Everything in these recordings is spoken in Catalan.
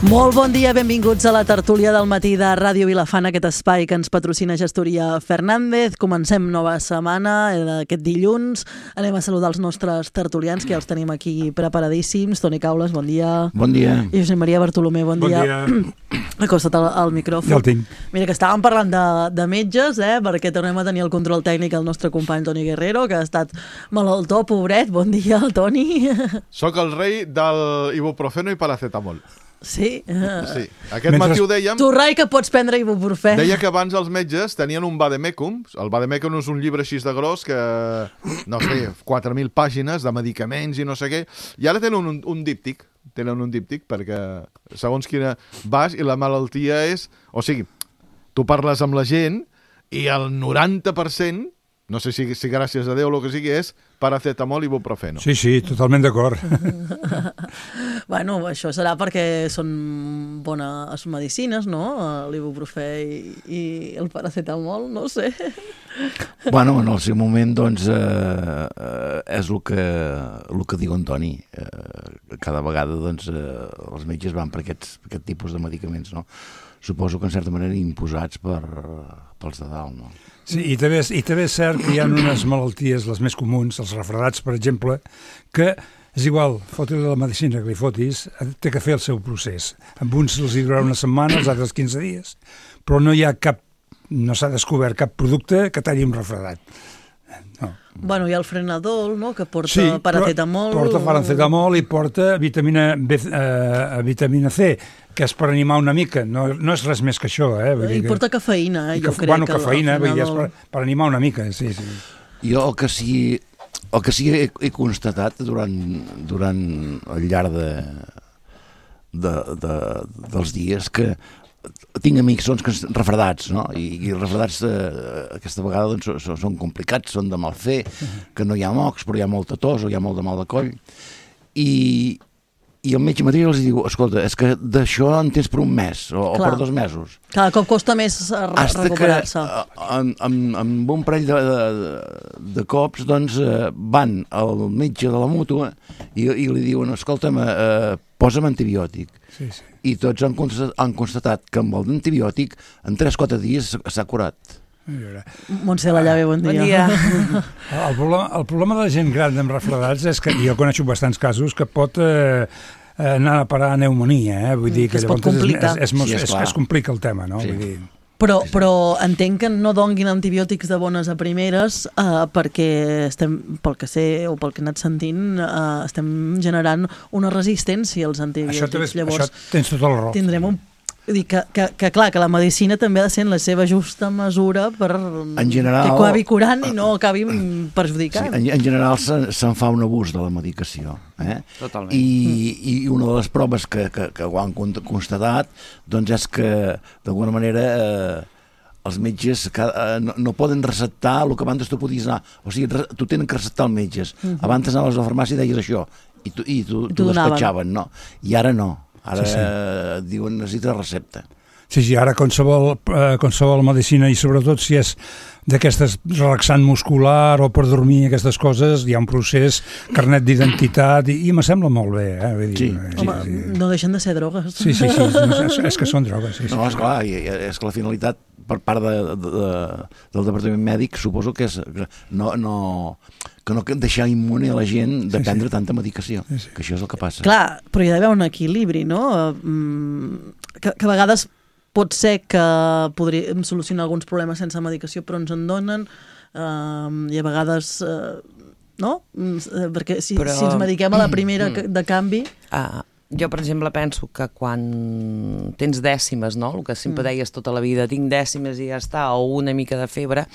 Molt bon dia, benvinguts a la tertúlia del matí de Ràdio Vilafant, aquest espai que ens patrocina Gestoria Fernández. Comencem nova setmana, aquest dilluns. Anem a saludar els nostres tertulians, que ja els tenim aquí preparadíssims. Toni Caules, bon dia. Bon dia. I Josep Maria Bartolomé, bon dia. Bon dia. Acosta't al micròfon. Ja el tinc. Mira, que estàvem parlant de metges, perquè tornem a tenir el control tècnic el nostre company Toni Guerrero, que ha estat malaltó, pobret. Bon dia, Toni. Soc el rei del ibuprofeno i paracetamol. Sí. Sí. Aquest matí ho dèiem. Tu, rai, que pots prendre ibuprofè. Deia que abans els metges tenien un vademecum. El vademecum és un llibre així de gros que, no sé, 4.000 pàgines de medicaments i no sé què. I ara tenen un díptic. Tenen un díptic perquè segons quina vas i la malaltia és... O sigui, tu parles amb la gent i el 90%, no sé si gràcies a Déu o el que sigui, és paracetamol i ibuprofeno. Sí, totalment d'acord. Bueno, això serà perquè són bones medicines, no? L'ibuprofè i el paracetamol, no sé. Bueno, en el seu moment, doncs, és el que diu en Toni. Cada vegada, doncs, els metges van per aquest tipus de medicaments, no? Suposo que en certa manera imposats pels de dalt, no? Sí, i també és cert que hi ha unes malalties, les més comuns, els refredats, per exemple, que és igual, foti-li la medicina que li fotis, té que fer el seu procés. Amb uns els hi durarà una setmana, els altres 15 dies, però no s'ha descobert cap producte que talli un refredat. No. Bueno, hi ha el Frenadol, no?, que porta paracetamol. Porta paracetamol i porta vitamina C, que és per animar una mica, no és res més que això. I porta cafeïna, jo crec. Bueno, cafeïna, és per animar una mica, sí. Jo el que sí he constatat durant el llarg dels dies que tinc amics refredats, no? I refredats aquesta vegada doncs, són complicats, són de mal fer, que no hi ha mocs, però hi ha molta tos o hi ha molt de mal de coll. I el metge mateix els diu, escolta, és que d'això en tens per un mes o per 2 mesos. Cada cop costa més recuperar-se. Amb un parell de cops doncs, van al metge de la mútua i li diuen, escolta'm, posa'm antibiòtic. Sí. I tots han constatat que amb l'antibiòtic en 3-4 dies s'ha curat. Montse Lallave, bon dia. El problema de la gent gran amb refredats és que jo coneixo bastants casos que pot anar a parar a pneumònia, vull dir que llavors es complica el tema, no? Sí. Vull dir... Però entenc que no donguin antibiòtics de bones a primeres perquè estem, pel que sé o pel que he anat sentint, estem generant una resistència als antibiòtics. Això tens tota la raó. Tindrem un... Vull dir que clar, que la medicina també ha de ser en la seva justa mesura per que acabi curant i no acabi perjudicant. Sí, en general se'n fa un abús de la medicació. Totalment. I una de les proves que ho han constatat doncs és que d'alguna manera els metges no poden receptar el que abans tu podies anar. O sigui, tu tenen que receptar els metges. Abans anaves a la farmàcia i deies això i tu despatxaven, no? I ara no. Ara diuen necessita recepta. Sí, ara qualsevol medicina, i sobretot si és d'aquestes relaxant muscular o per dormir, aquestes coses, hi ha un procés, carnet d'identitat, i me sembla molt bé. Vull dir, sí. No deixen de ser drogues. Sí, és que són drogues. Sí. No, esclar, és que la finalitat per part del Departament Mèdic suposo que és que no deixar immune a la gent de prendre tanta medicació, que això és el que passa. Clar, però hi ha d'haver un equilibri, no? Que a vegades pot ser que podríem solucionar alguns problemes sense medicació, però ens en donen, i a vegades no? Perquè si ens mediquem a la primera de canvi... Jo, per exemple, penso que quan tens dècimes, no? El que sempre deies tota la vida, tinc dècimes i ja està, o una mica de febre,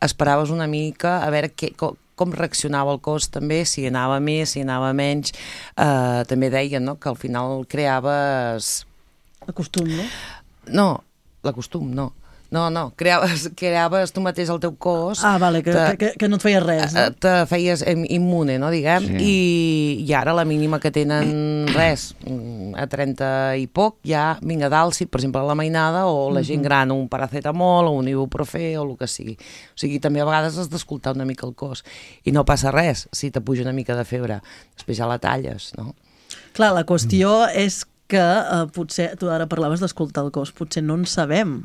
esperaves una mica a veure com reaccionava el cos també, si anava més, si anava menys. També deien, no?, que al final creaves... L'acostum, no? No, l'acostum, no. No, creaves tu mateix el teu cos... Vale, que no et feia res, no? Te feies immune, no, diguem, sí. I ara la mínima que tenen res, a 30 i poc, ja vinga dalt, si per exemple la mainada o la gent gran, un paracetamol o un ibuprofè o el que sigui. O sigui, també a vegades has d'escoltar una mica el cos i no passa res si te puja una mica de febre, després ja la talles, no? Clar, la qüestió és que potser, tu ara parlaves d'escoltar el cos, potser no en sabem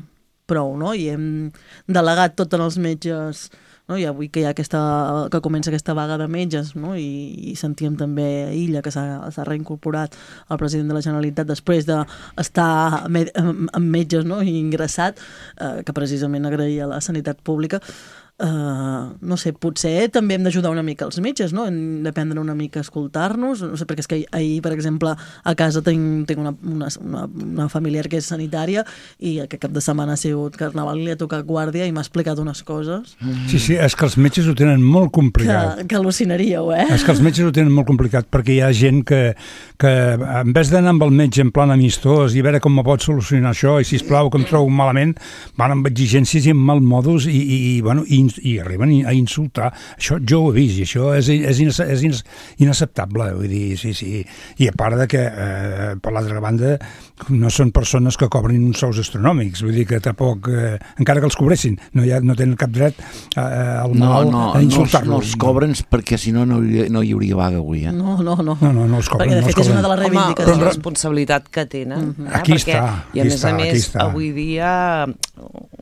prou, no? I hem delegat tot en els metges, no? I avui que que comença aquesta vaga de metges, no? I sentíem també a Illa que s'ha reincorporat el president de la Generalitat després d'estar amb metges, no? I ingressat, que precisament agraïa la sanitat pública. No sé, potser també hem d'ajudar una mica els metges, no? Hem d'aprendre una mica a escoltar-nos, no sé, perquè és que ahir, per exemple, a casa tinc una familiar que és sanitària i aquest cap de setmana ha sigut carnaval i li ha tocat guàrdia i m'ha explicat unes coses. Sí, és que els metges ho tenen molt complicat. Que al·lucinaríeu, És que els metges ho tenen molt complicat perquè hi ha gent que en vez d'anar amb el metge en plan amistós i veure com me pot solucionar això i sisplau que em trobo malament, van amb exigències i amb malmodos i arriben a insultar. Això jo ho he vist i això és inacceptable, vull dir, sí. I a part de que, per l'altra banda, no són persones que cobrin uns sous astronòmics, vull dir que tampoc, encara que els cobressin, no tenen cap dret al mal a insultar-los. No els cobren perquè si no hi hauria vaga avui. No els cobren. Perquè de fet és una de les reivindicacions. Home, la responsabilitat que tenen. Aquí està. I a més, avui dia,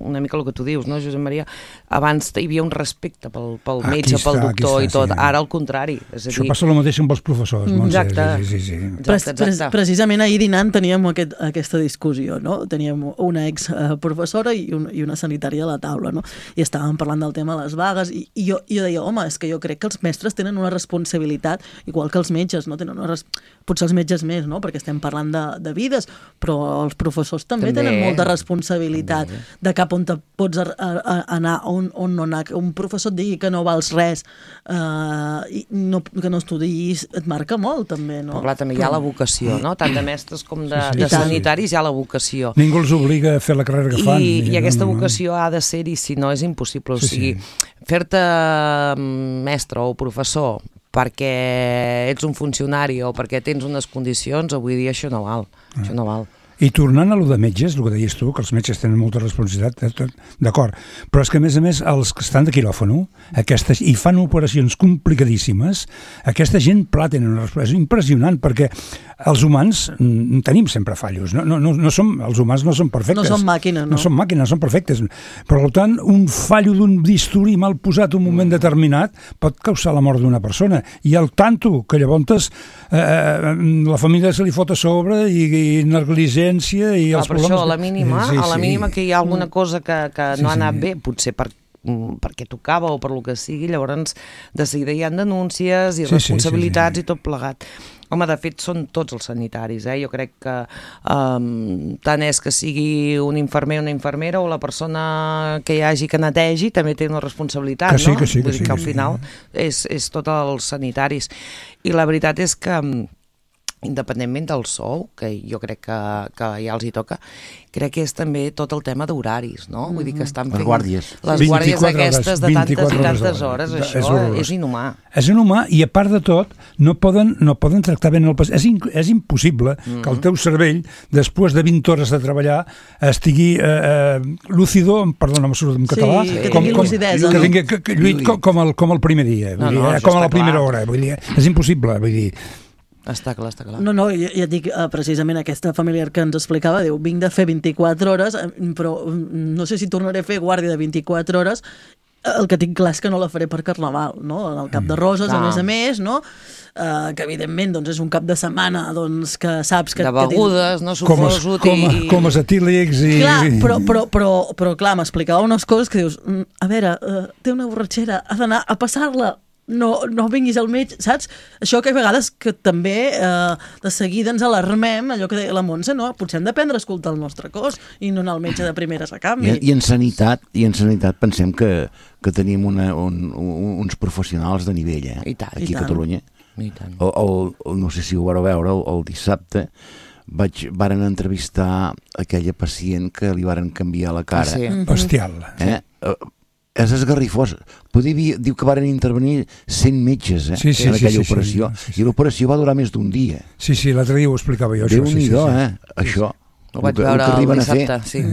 una mica el que tu dius, no, Josep Maria? Abans hi havia un respecte pel metge, pel doctor i tot. Ara al contrari. Això passa el mateix amb els professors. Exacte. Precisament ahir dinant teníem aquesta discussió, no? Teníem una ex-professora i una sanitària a la taula, no? I estàvem parlant del tema de les vagues i jo deia, home, és que jo crec que els mestres tenen una responsabilitat, igual que els metges, no? Potser els metges més, no? Perquè estem parlant de vides, però els professors també tenen molta responsabilitat de cap on te pots anar, on no anar. Un professor et digui que no vals res, que no estudiïs, et marca molt també, no? Però clar, també hi ha la vocació, no? Tant de mestres com de sanitaris hi ha la vocació. Ningú els obliga a fer la carrera que fan. I aquesta vocació ha de ser-hi, si no és impossible. O sigui, fer-te mestre o professor perquè ets un funcionari o perquè tens unes condicions, avui dia això no val. Això no val. I tornant a lo de metges, el que deies tu, que els metges tenen molta responsabilitat, d'acord, però és que a més, els que estan de quiròfano i fan operacions complicadíssimes, aquesta gent tenen una responsabilitat. És impressionant, perquè els humans tenim sempre fallos. Els humans no són perfectes. No són màquines, no? No són màquines, són perfectes. Per tant, un fallo d'un bisturí mal posat un moment determinat pot causar la mort d'una persona. I el tanto que llavors la família se li fot a sobre i negligència i els problemes... Per això, a la mínima que hi ha alguna cosa que no ha anat bé, potser perquè tocava o per lo que sigui, llavors de seguida hi ha denúncies i responsabilitats i tot plegat. Home, de fet, són tots els sanitaris, Jo crec que tant és que sigui un infermer o una infermera o la persona que hi hagi que netegi també té una responsabilitat, no? Vull dir que al final és tots els sanitaris. I la veritat és que independentment del sou, que jo crec que ja els hi toca, crec que és també tot el tema d'horaris, no? Vull dir que estan fent... Les guàrdies aquestes de tantes i tantes hores, això és inhumà. És inhumà i a part de tot no poden tractar bé el pacient. És impossible que el teu cervell, després de 20 hores de treballar, estigui lúcido, perdona, me surt en català, que tingui lucidesa, com el primer dia, com a la primera hora. És impossible, vull dir... Està clar. No, ja et dic, precisament aquesta familiar que ens explicava, diu, vinc de fer 24 hores, però no sé si tornaré a fer guàrdia de 24 hores, el que tinc clar és que no la faré per Carnaval, no? En el Cap de Roses, a més, no? Que evidentment és un cap de setmana que saps que... De begudes, no? Suposo... Comes etílics i... Clar, però clar, m'explicava unes coses que dius, a veure, té una borratxera, ha d'anar a passar-la, no vinguis al metge, saps? Això que a vegades que també de seguida ens alarmem, allò que deia la Montse, no? Potser hem d'aprendre a escoltar el nostre cos i no anar al metge de primeres a canvi. I en sanitat pensem que tenim uns professionals de nivell, aquí a Catalunya. No sé si ho vareu veure, el dissabte varen entrevistar aquella pacient que li varen canviar la cara. Bestial. És esgarrifós. Diu que varen intervenir 100 metges en aquella operació. I l'operació va durar més d'un dia. Sí, l'altre dia ho explicava jo. Déu-n'hi-do, això. Ho vaig veure el dissabte, sí.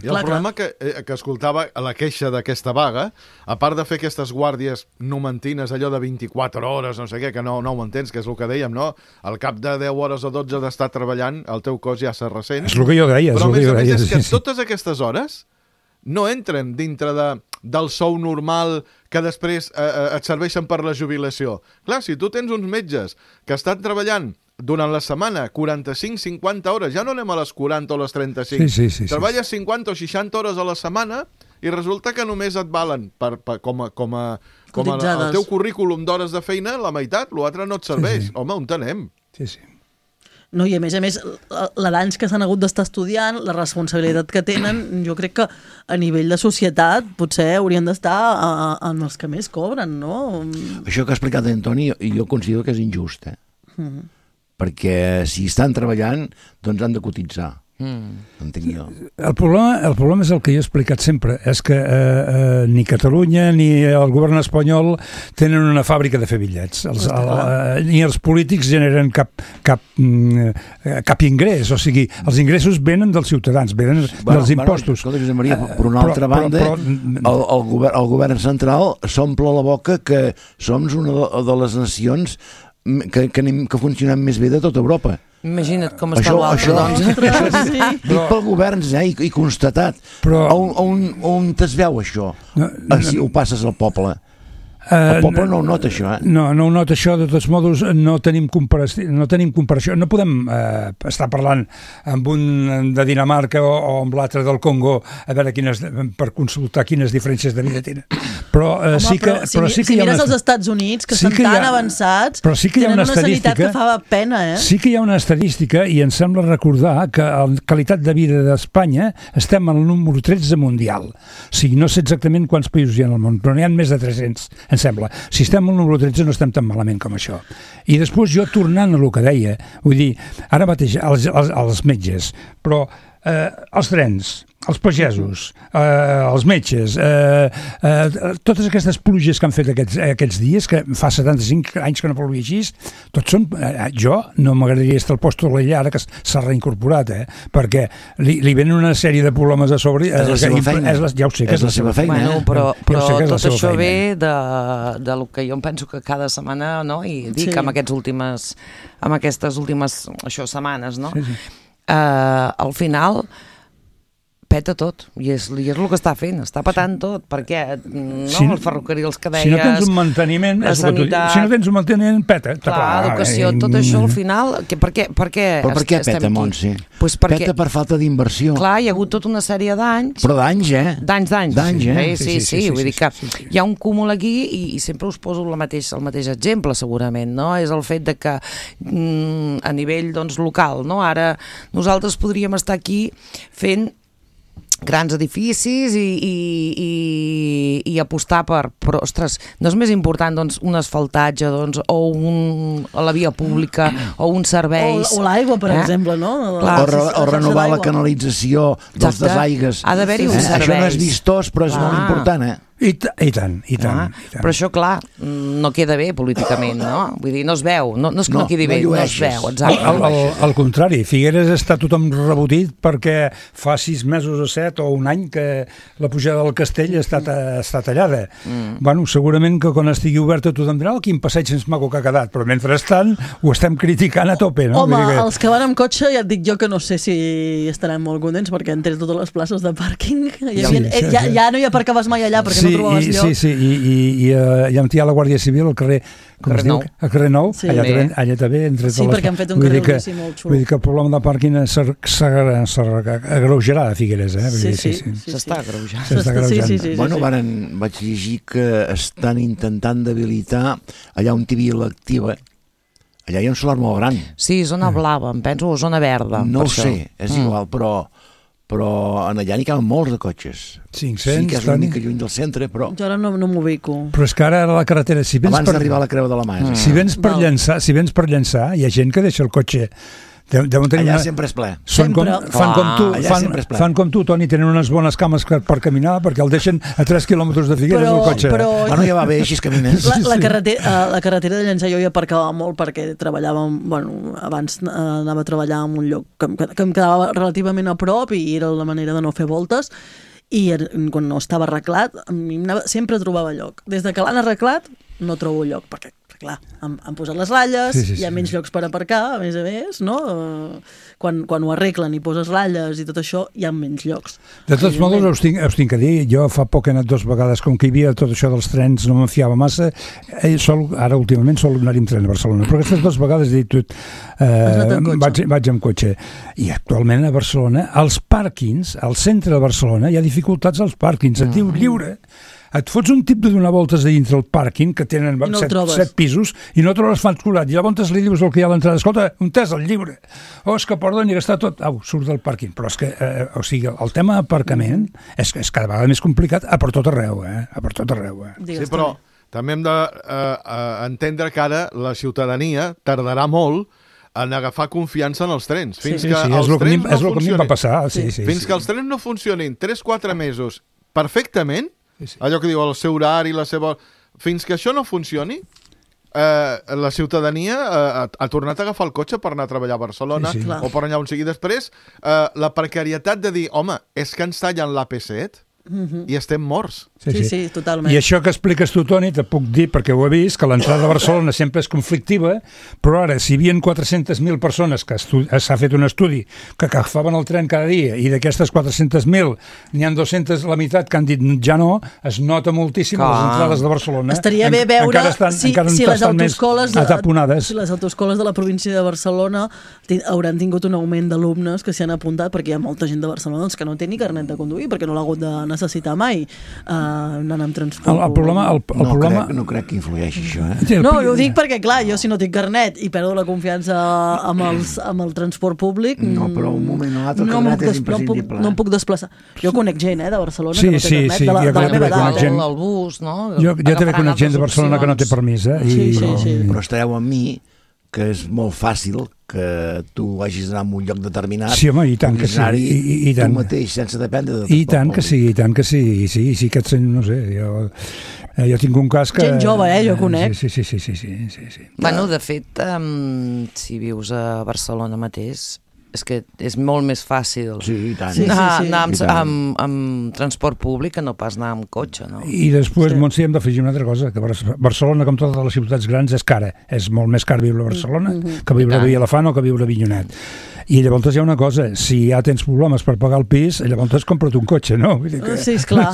I el problema que escoltava la queixa d'aquesta vaga, a part de fer aquestes guàrdies numantines, allò de 24 hores, no sé què, que no ho entens, que és el que dèiem, no? Al cap de 10 hores o 12 d'estar treballant, el teu cos ja se ressent. És el que jo deia. Però a més és que totes aquestes hores no entren dintre del sou normal que després et serveixen per la jubilació. Clar, si tu tens uns metges que estan treballant durant la setmana 45-50 hores, ja no anem a les 40 o les 35, treballes 50 o 60 hores a la setmana i resulta que només et valen com el teu currículum d'hores de feina, la meitat, l'altre no et serveix. Home, on t'anem? Sí. No, i a més, la d'anys que s'han hagut d'estar estudiant, la responsabilitat que tenen, jo crec que a nivell de societat potser haurien d'estar en els que més cobren, no? Això que ha explicat Antoni, jo considero que és injust, perquè si estan treballant, doncs han de cotitzar. Entenc jo. El problema és el que jo he explicat sempre, és que ni Catalunya ni el govern espanyol tenen una fàbrica de fer bitllets. Ni els polítics generen cap ingrés, o sigui, els ingressos venen dels ciutadans, venen dels impostos. Escolta, Josep Maria, per una altra banda, el govern central s'omple la boca que som una de les nacions que funcionen més bé de tota Europa. Imagina't com està l'altre, doncs. Dit pel govern, i constatat. On es veu això? Si ho passes al poble. El poble no ho nota, això, No ho nota, això. De tots modos, no tenim comparació. No podem estar parlant amb un de Dinamarca o amb l'altre del Congo a veure per consultar quines diferències de vida tenen. Però sí que si mires els Estats Units, que estan tan avançats, tenen una sanitat que fa pena, Sí que hi ha una estadística, i em sembla recordar que en qualitat de vida d'Espanya estem al número 13 mundial. O sigui, no sé exactament quants països hi ha al món, però n'hi ha més de 300, em sembla. Si estem al número 13 no estem tan malament com això. I després jo, tornant a el que deia, vull dir, ara mateix els metges, però els trens, els pagesos, els metges, totes aquestes pluges que han fet aquests dies, que fa 75 anys que no plovia així, tots són... Jo no m'agradaria estar al posto de l'ella ara que s'ha reincorporat, perquè li venen una sèrie de problemes a sobre. És la seva feina. Ja ho sé que és la seva feina. Bueno, però tot això ve del que jo em penso que cada setmana, no? I dic amb aquestes últimes setmanes, no? Al final peta tot, i és el que està fent, està petant tot, perquè els ferrocarrils que deies... Si no tens un manteniment, si no tens un manteniment, peta. Clar, educació, tot això al final... Per què Però per què peta, Montse? Peta per falta d'inversió. Clar, hi ha hagut tota una sèrie d'anys... Però d'anys, D'anys. Sí, vull dir que hi ha un cúmul aquí i sempre us poso el mateix exemple, segurament, no? És el fet de que a nivell local, no? Ara nosaltres podríem estar aquí fent grans edificis i apostar però, ostres, no és més important un asfaltatge o la via pública o uns serveis... O l'aigua, per exemple, no? O renovar la canalització dels desaigues. Ha d'haver-hi uns serveis. Això no és vistós, però és molt important, I tant. Però això, clar, no queda bé políticament, no? Vull dir, no es veu, no és que no quedi bé, no es veu, exacte. Al contrari, Figueres està tothom rebotit perquè fa 6 mesos o 7 o un any que la pujada del castell està tallada. Bueno, segurament que quan estigui oberta tothom dirà quin passeig més maco que ha quedat, però mentrestant ho estem criticant a tope, no? Home, els que van amb cotxe ja et dic jo que no sé si estaran molt contents perquè han tret totes les places de pàrquing. Ja no hi aparcaves mai allà perquè no trobaves lloc. Sí, i hi ha la Guàrdia Civil al carrer Nou, allà també, entre totes les... Sí, perquè han fet un carrer molt xulo. Vull dir que el problema de pàrquing s'agreujarà a Figueres, Sí. S'està agreujant. Bueno, vaig llegir que estan intentant debilitar allà on hi havia l'activa. Allà hi ha un solar molt gran. Sí, zona blava, em penso, o zona verda. No ho sé, és igual, però en allà n'hi caben molts de cotxes. 500, sí que és una mica lluny del centre, però... Jo ara no m'ubico. Però és que ara la carretera... Abans d'arribar a la Creu de la Mà. Si vens per llançar, hi ha gent que deixa el cotxe Deuen tenir Allà sempre és ple. Fan Allà sempre és ple. fan com tu, Toni, tenen unes bones cames per caminar perquè el deixen a 3 quilòmetres de Figueres el cotxe. Bueno, ja va bé, així camines. La carretera de Llançà jo hi aparcava molt perquè treballava, bueno, abans anava a treballar en un lloc que em quedava relativament a prop i era la manera de no fer voltes, i quan no estava arreglat sempre trobava lloc. Des de que l'han arreglat no trobo lloc, perquè clar, han posat les ratlles, hi ha menys llocs per aparcar, a més, no? Quan ho arreglen i poses ratlles i tot això, hi ha menys llocs. De tots modos, us tinc que dir, jo fa poc he anat 2 vegades, com que hi havia tot això dels trens, no me'n fiava massa, ara últimament sol anar-hi amb tren a Barcelona, però aquestes 2 vegades he dit vaig amb cotxe. I actualment a Barcelona, als pàrquings, al centre de Barcelona, hi ha dificultats als pàrquings, et diu lliure. Et fots un tip de donar voltes a dintre el pàrquing, que tenen 7 pisos, i no trobes fans colat. I llavors li dius el que hi ha a l'entrada, escolta, on és el llibre? És que perdoni, que està tot... surt del pàrquing. Però és que, el tema d'aparcament és cada vegada més complicat a per tot arreu, a per tot arreu. Sí, però també hem d'entendre que ara la ciutadania tardarà molt en agafar confiança en els trens. Fins que els trens no funcionin. Fins que els trens no funcionin 3-4 mesos perfectament, allò que diu el seu horari, fins que això no funcioni, la ciutadania ha tornat a agafar el cotxe per anar a treballar a Barcelona o per allà on sigui. Després, la precarietat de dir, home, és que ens tallen l'AP7 i estem morts. Sí, totalment. I això que expliques tu, Toni, te puc dir, perquè ho he vist, que l'entrada a Barcelona sempre és conflictiva, però ara, si hi havia 400.000 persones, que s'ha fet un estudi, que agafaven el tren cada dia, i d'aquestes 400.000 n'hi ha 200, la meitat, que han dit ja no, es nota moltíssim les entrades de Barcelona. Estaria bé veure si les autoescoles ataponades. Si les autoescoles de la província de Barcelona hauran tingut un augment d'alumnes que s'hi han apuntat, perquè hi ha molta gent de Barcelona que no té ni carnet de conduir, perquè no l'ha hagut de necessitar mai. Anant amb transport. El problema... No crec que influeixi això, No, ho dic perquè, clar, jo si no tinc carnet i perdo la confiança amb el transport públic... No, però un moment o l'altre carnet és imprescindible. No em puc desplaçar. Jo conec gent, de Barcelona, que no té carnet, de la meva edat. El bus, no? Jo també conec gent de Barcelona que no té permís, Sí. Però estareu amb mi que és molt fàcil que tu hagis d'anar a un lloc determinat. Sí, home, i tant que sí. I tant. Tu mateix, sense dependre de... I tant que sí. Sí que et sent, no sé, jo tinc un cas que... Gent jove, jo conec. Sí. Bueno, de fet, si vius a Barcelona mateix, és que és molt més fàcil anar amb transport públic que no pas anar amb cotxe, no? I després, Montse, hem d'afegir una altra cosa, que Barcelona, com totes les ciutats grans, és cara. És molt més car viure a Barcelona que viure a Vilafant o que viure a Avinyonet. I llavors hi ha una cosa, si ja tens problemes per pagar el pis, llavors compra't un cotxe, no? Sí, esclar.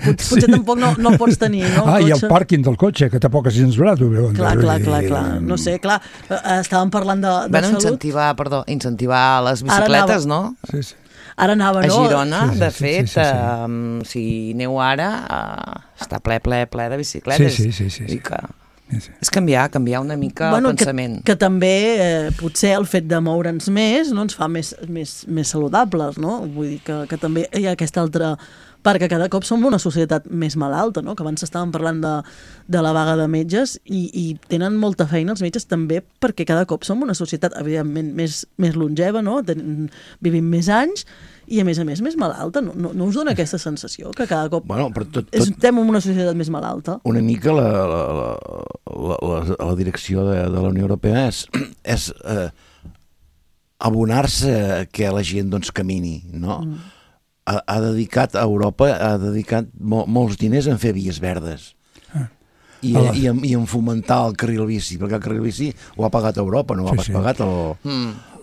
Potser tampoc no el pots tenir, no? I el pàrquing del cotxe, que tampoc és gens barat. Clar. No sé, clar. Estàvem parlant de salut. Incentivar les bicicletes, no? Sí. Ara anava, no? A Girona, de fet, si neu ara, està ple de bicicletes. Sí. És canviar una mica el pensament. Que també potser el fet de moure'ns més no ens fa més saludables, no? Vull dir que també hi ha aquesta altra part, que cada cop som una societat més malalta, no? Que abans estàvem parlant de la vaga de metges i tenen molta feina els metges també perquè cada cop som una societat evidentment més longeva, no? Vivim més anys i a més més malalta. No us dona aquesta sensació que cada cop estem en una societat més malalta? Una mica la direcció de la Unió Europea és abonar-se que la gent camini, no? Ha dedicat a Europa molts diners en fer vies verdes i en fomentar el carril bici, perquè el carril bici ho ha pagat Europa, no ho ha pas pagat el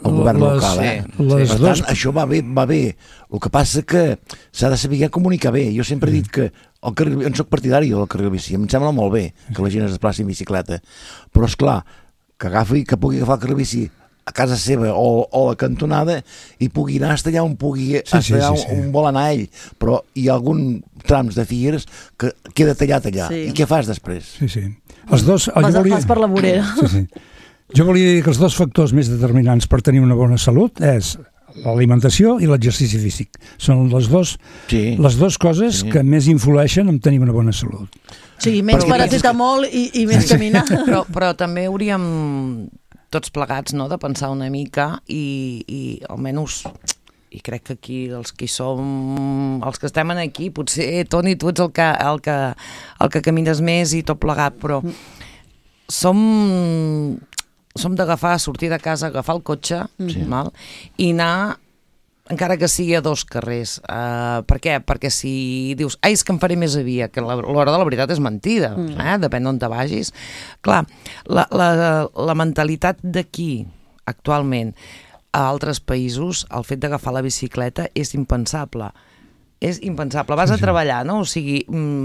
govern local. Per tant, això va bé. El que passa que s'ha de saber comunicar bé. Jo sempre he dit que en soc partidari del carril bici, em sembla molt bé que la gent es desplaci en bicicleta, però és clar que pugui agafar el carril bici a casa seva o a la cantonada i pugui anar hasta allà on vol anar ell, però hi ha algun trams de Figueres que queda tallat allà. I què fas després? Sí. Vas per la vorera. Sí. Jo volia dir que els dos factors més determinants per tenir una bona salut és l'alimentació i l'exercici físic. Són les dues coses que més influeixen en tenir una bona salut. Sí, menys paracetamol i més caminar. Però també hauríem tots plegats, no?, de pensar una mica i almenys... I crec que aquí els que estem aquí, potser, Toni, tu ets el que camines més i tot plegat, però som sortir de casa, agafar el cotxe, val? I anar, encara que sigui a 2 carrers. Per què? Perquè si dius, és que em faré més a via, que l'hora de la veritat és mentida, depèn d'on te vagis. Clar, la mentalitat d'aquí, actualment, a altres països, el fet d'agafar la bicicleta és impensable. És impensable. Vas a treballar, no? O sigui,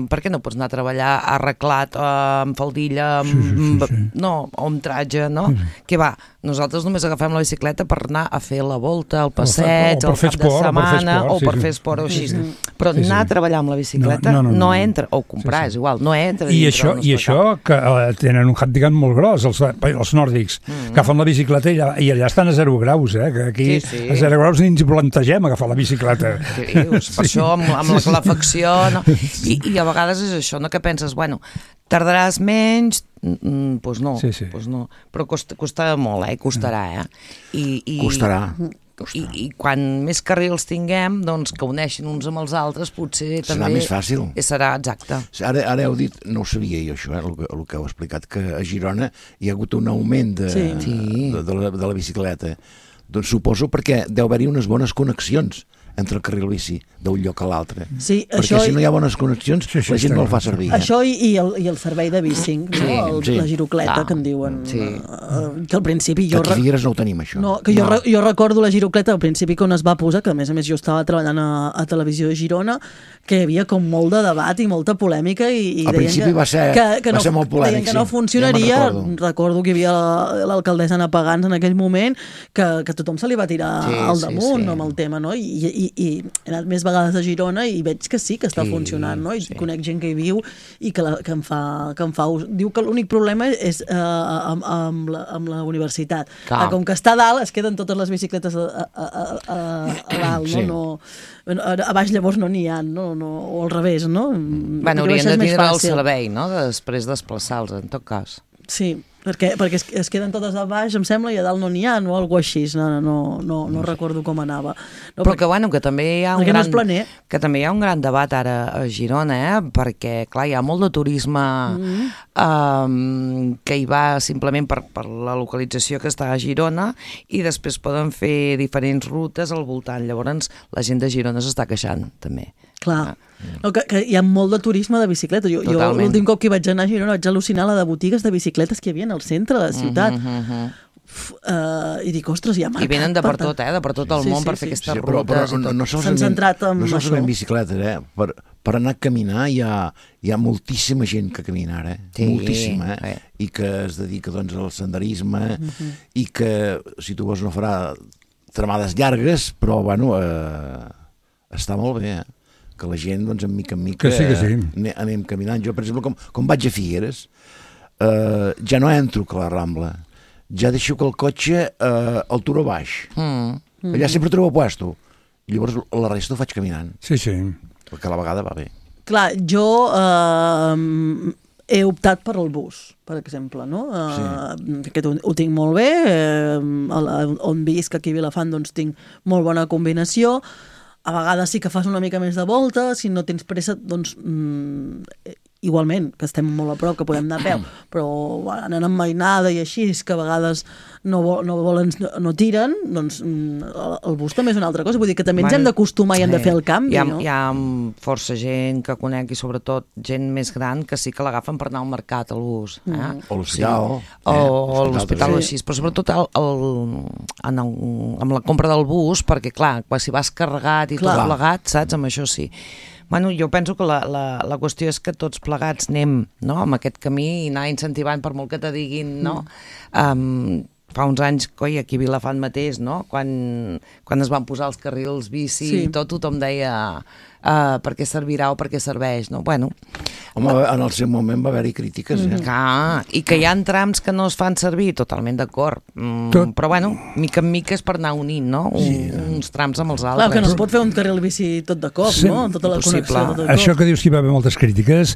per què no pots anar a treballar arreglat, amb faldilla, no, o amb tratge, no? Què va? Nosaltres només agafem la bicicleta per anar a fer la volta, el passeig, el cap de setmana, o per fer esport o així. Però anar a treballar amb la bicicleta no entra, o comprar, és igual, no entra. I això que tenen un handicap molt gros, els nòrdics, agafen la bicicleta i allà estan a 0 graus, que aquí a 0 graus ni ens plantegem agafar la bicicleta. Per això amb la calefacció, no? I a vegades és això, no? Que penses, bueno, tardaràs menys, doncs no, però costa molt, costarà, Costarà. I quan més carrils tinguem, doncs que uneixin uns amb els altres, potser també... Serà més fàcil. Serà, exacte. Ara heu dit, no ho sabia jo això, el que heu explicat, que a Girona hi ha hagut un augment de la bicicleta. Doncs suposo perquè deu haver-hi unes bones connexions entre el carril bici d'un lloc a l'altre. Sí, perquè si no hi ha bones connexions, la gent no el fa servir. Això i el servei de bicing, la girocleta, que en diuen. Que al principi jo... Que a Figueres no ho tenim, això. No, que jo recordo la girocleta al principi quan es va posar, que a més jo estava treballant a Televisió de Girona, que hi havia com molt de debat i molta polèmica i al principi va ser molt polèmic, deien que no funcionaria. Recordo que hi havia l'alcaldessa Anna Pagans en aquell moment, que tothom se li va tirar al damunt amb el tema, no? I he anat més vegades a Girona i veig que sí que està funcionant, no? I conec gent que hi viu i que en fa ús. Diu que l'únic problema és amb la universitat. Com que està a dalt, es queden totes les bicicletes a dalt, no? A baix llavors no n'hi ha, no? O al revés, no? Bueno, haurien de tindre el servei, no? Després desplaçar-los, en tot cas. Sí, perquè es queden totes a baix, em sembla, i a dalt no n'hi ha, o alguna així, no recordo com anava. Però que també hi ha un gran debat ara a Girona, perquè, clar, hi ha molt de turisme que hi va simplement per la localització que està a Girona i després poden fer diferents rutes al voltant. Llavors, la gent de Girona s'està queixant, també. Clar, que hi ha molt de turisme de bicicleta. Jo l'últim cop que vaig anar a Girona vaig al·lucinar la de botigues de bicicletes que hi havia al centre de la ciutat. I dic, ostres, hi ha mercat. I venen de per tot, de per tot el món per fer aquestes rutes. S'han centrat en això. No solament bicicletes, per anar a caminar hi ha moltíssima gent que camina ara, moltíssima, i que es dedica doncs al senderisme i que, si tu vols, no farà tramades llargues, però, bueno, està molt bé, que la gent, doncs, en mica anem caminant. Jo, per exemple, com vaig a Figueres, ja no entro a la Rambla, ja deixo que el cotxe el turo baix. Allà sempre trobo puesto. I llavors la resta ho faig caminant. Sí. Perquè a la vegada va bé. Clar, jo he optat per el bus, per exemple, no? Aquest ho tinc molt bé, on visc aquí a Vilafant doncs tinc molt bona combinació. A vegades sí que fas una mica més de volta, si no tens pressa, doncs igualment, que estem molt a prop, que podem anar a peu, però anant amb mainada i així, que a vegades no tiren, doncs el bus també és una altra cosa. Vull dir que també ens hem d'acostumar i hem de fer el canvi, no? Hi ha força gent que conec i sobretot gent més gran que sí que l'agafen per anar al mercat, el bus. O l'hospital. O l'hospital o així, però sobretot amb la compra del bus, perquè clar, si vas carregat i tot plegat, saps? Amb això sí. Bueno, jo penso que la qüestió és que tots plegats anem, no?, amb aquest camí i anar incentivant per molt que te diguin, no? Fa uns anys, aquí a Vilafant mateix, no?, quan es van posar els carrils bici i tot, tothom deia per què servirà o per què serveix, no? Bueno, Home, en el seu moment va haver-hi crítiques, i que hi ha trams que no es fan servir, totalment d'acord. Però bueno, mica en mica és per anar unint, no? Uns trams amb els altres. Clar, que no es pot fer un carril bici tot de cop, no? Tota la connexió tot de cop. Això que dius que hi va haver moltes crítiques,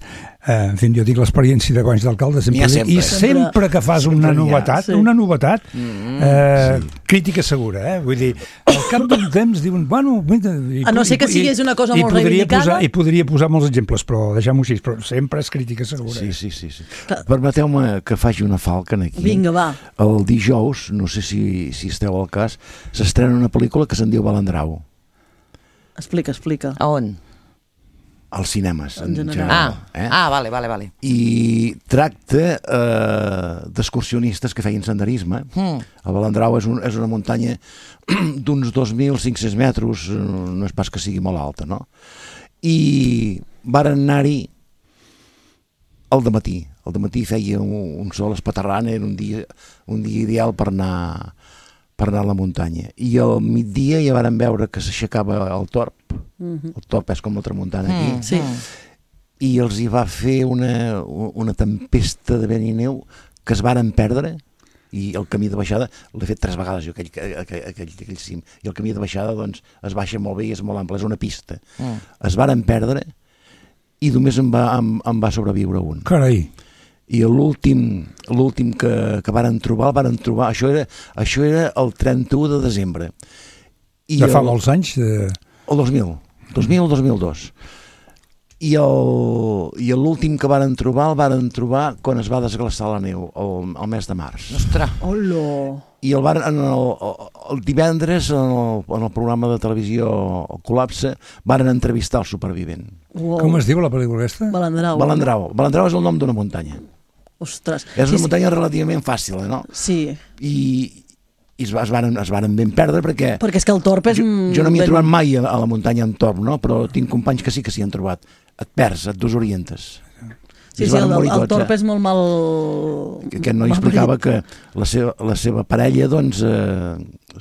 en fi, jo tinc l'experiència de guanys d'alcalde, i sempre que fas una novetat, crítica segura, vull dir, al cap d'un temps diuen, bueno... A no ser que sigués una cosa molt reivindicada... I podria posar molts exemples, però deixem-ho així, però sempre és crítica segura. Sí. Permeteu-me que faci una falca aquí. Vinga, va. El dijous, no sé si esteu al cas, s'estrena una pel·lícula que se'n diu Balandrau. Explica. A on? Als cinemes, en general. Vale. I tracta d'excursionistes que feien senderisme. El Balandrau és una muntanya d'uns 2.500 metres, no és pas que sigui molt alta, no? I varen anar-hi al dematí. Al dematí feia un sol espaterrant, era un dia ideal per anar a la muntanya. I al migdia ja varen veure que s'aixecava el torb. El torb és com la tramuntana aquí. I els hi va fer una tempesta de vent i neu que es varen perdre, i el camí de baixada l'he fet 3 vegades jo, aquell cim, i el camí de baixada doncs es baixa molt bé i és molt ample, és una pista. Es varen perdre i només em va sobreviure un. Carai. I l'últim que varen trobar, això era el 31 de desembre. De fa molts anys? El 2002. I l'últim que varen trobar quan es va desglaçar la neu, el mes de març. Ostres! I el divendres, en el programa de televisió El Col·lapse, varen entrevistar el supervivent. Com es diu la pel·lícula aquesta? Balandrau. Balandrau és el nom d'una muntanya. Ostres. És una muntanya relativament fàcil, no? Sí. I es varen ben perdre perquè és que el torb és... Jo no m'hi he trobat mai a la muntanya en torb, no? Però tinc companys que sí que s'hi han trobat. Et perds, et desorientes. Sí, el torb és molt mal... Aquest noi explicava que la seva parella, doncs,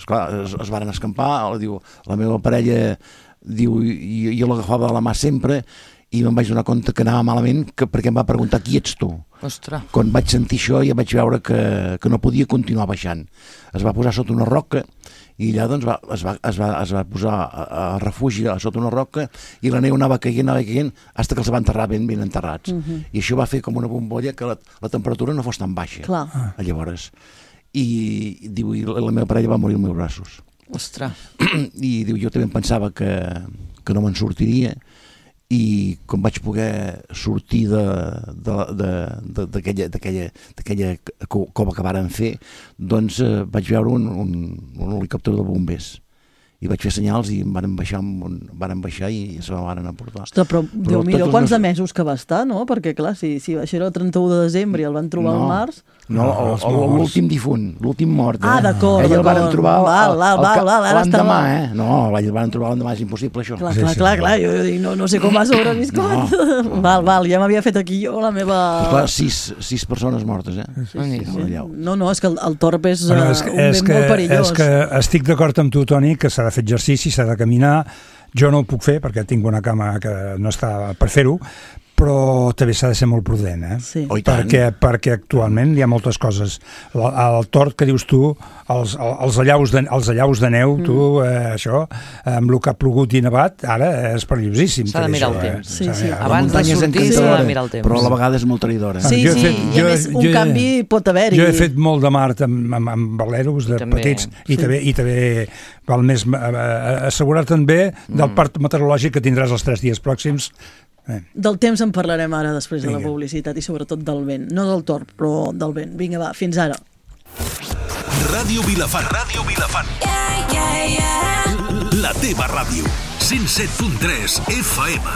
esclar, es varen escampar, diu, la meva parella, diu, jo l'agafava de la mà sempre i me'n vaig donar compte que anava malament perquè em va preguntar qui ets tu. Ostres. Quan vaig sentir això ja vaig veure que no podia continuar baixant. Es va posar sota una roca i allà doncs es va posar a refugi sota una roca i la neu anava caient fins que els va enterrar ben enterrats. I això va fer com una bombolla que la temperatura no fos tan baixa. Clar. Llavors. I diu, la meva parella va morir als meus braços. Ostres. I diu, jo també em pensava que no me'n sortiria, i quan vaig poder sortir d'aquella cova que varen fer, doncs vaig veure un helicòpter de bombers i vaig fer senyals i em varen baixar i se me varen aportar. Ostres, però Déu meu, quants de mesos que va estar, no? Perquè clar, si això era el 31 de desembre i el van trobar al març... No, l'últim difunt, l'últim mort. Ah, d'acord. Ell el van trobar l'endemà, No, el van trobar l'endemà, és impossible això. Clar, jo dic, no sé com va sobreviscut. Val, ja m'havia fet aquí jo la meva... Clar, 6 persones mortes, No, és que el torb és un vent molt perillós. És que estic d'acord amb tu, Toni, que s'ha de fer exercici, s'ha de caminar. Jo no ho puc fer perquè tinc una cama que no està per fer-ho, però també s'ha de ser molt prudent, Sí. Perquè actualment hi ha moltes coses. El tort que dius tu, els allaus de neu, tu, això, amb el que ha plogut i nevat, ara és perillosíssim. S'ha de mirar el temps. Abans de sortir s'ha de mirar el temps. Però a la vegada és molt traïdora. Sí, i a més un canvi pot haver-hi. Jo he fet molt de mar amb veleros de petits i també val més assegurar-te'n bé del part meteorològic que tindràs els 3 dies pròxims. Del temps en parlarem ara després de la publicitat i sobretot del vent. No del torb, però del vent. Vinga, va, fins ara. Ràdio Vilafant. La teva ràdio. 107.3 FM.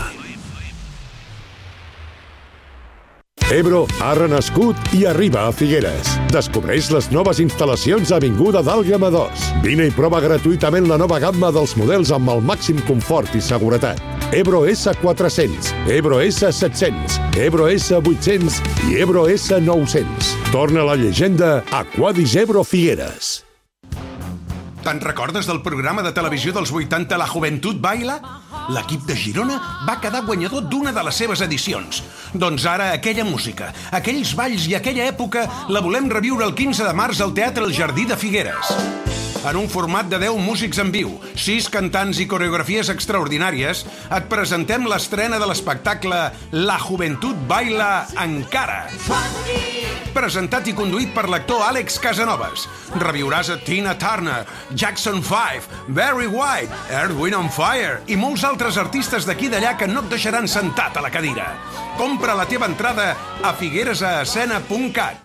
Ebro ha renascut i arriba a Figueres. Descobreix les noves instal·lacions a Avinguda d'Àlguema 2. Vine i prova gratuïtament la nova gamma dels models amb el màxim confort i seguretat. Ebro S400, Ebro S700, Ebro S800 i Ebro S900. Torna la llegenda a Quadis Ebro Figueres. Te'n recordes del programa de televisió dels 80 La Juventud Baila? L'equip de Girona va quedar guanyador d'una de les seves edicions. Doncs ara aquella música, aquells balls i aquella època la volem reviure el 15 de març al Teatre El Jardí de Figueres. En un format de 10 músics en viu, 6 cantants i coreografies extraordinàries, et presentem l'estrena de l'espectacle La Juventud Baila Encara. Presentat i conduït per l'actor Àlex Casanovas. Reviuràs a Tina Turner, Jackson 5, Barry White, Earth, Wind & Fire i molts altres artistes d'aquí i d'allà que no et deixaran sentat a la cadira. Compra la teva entrada a figueresaescena.cat.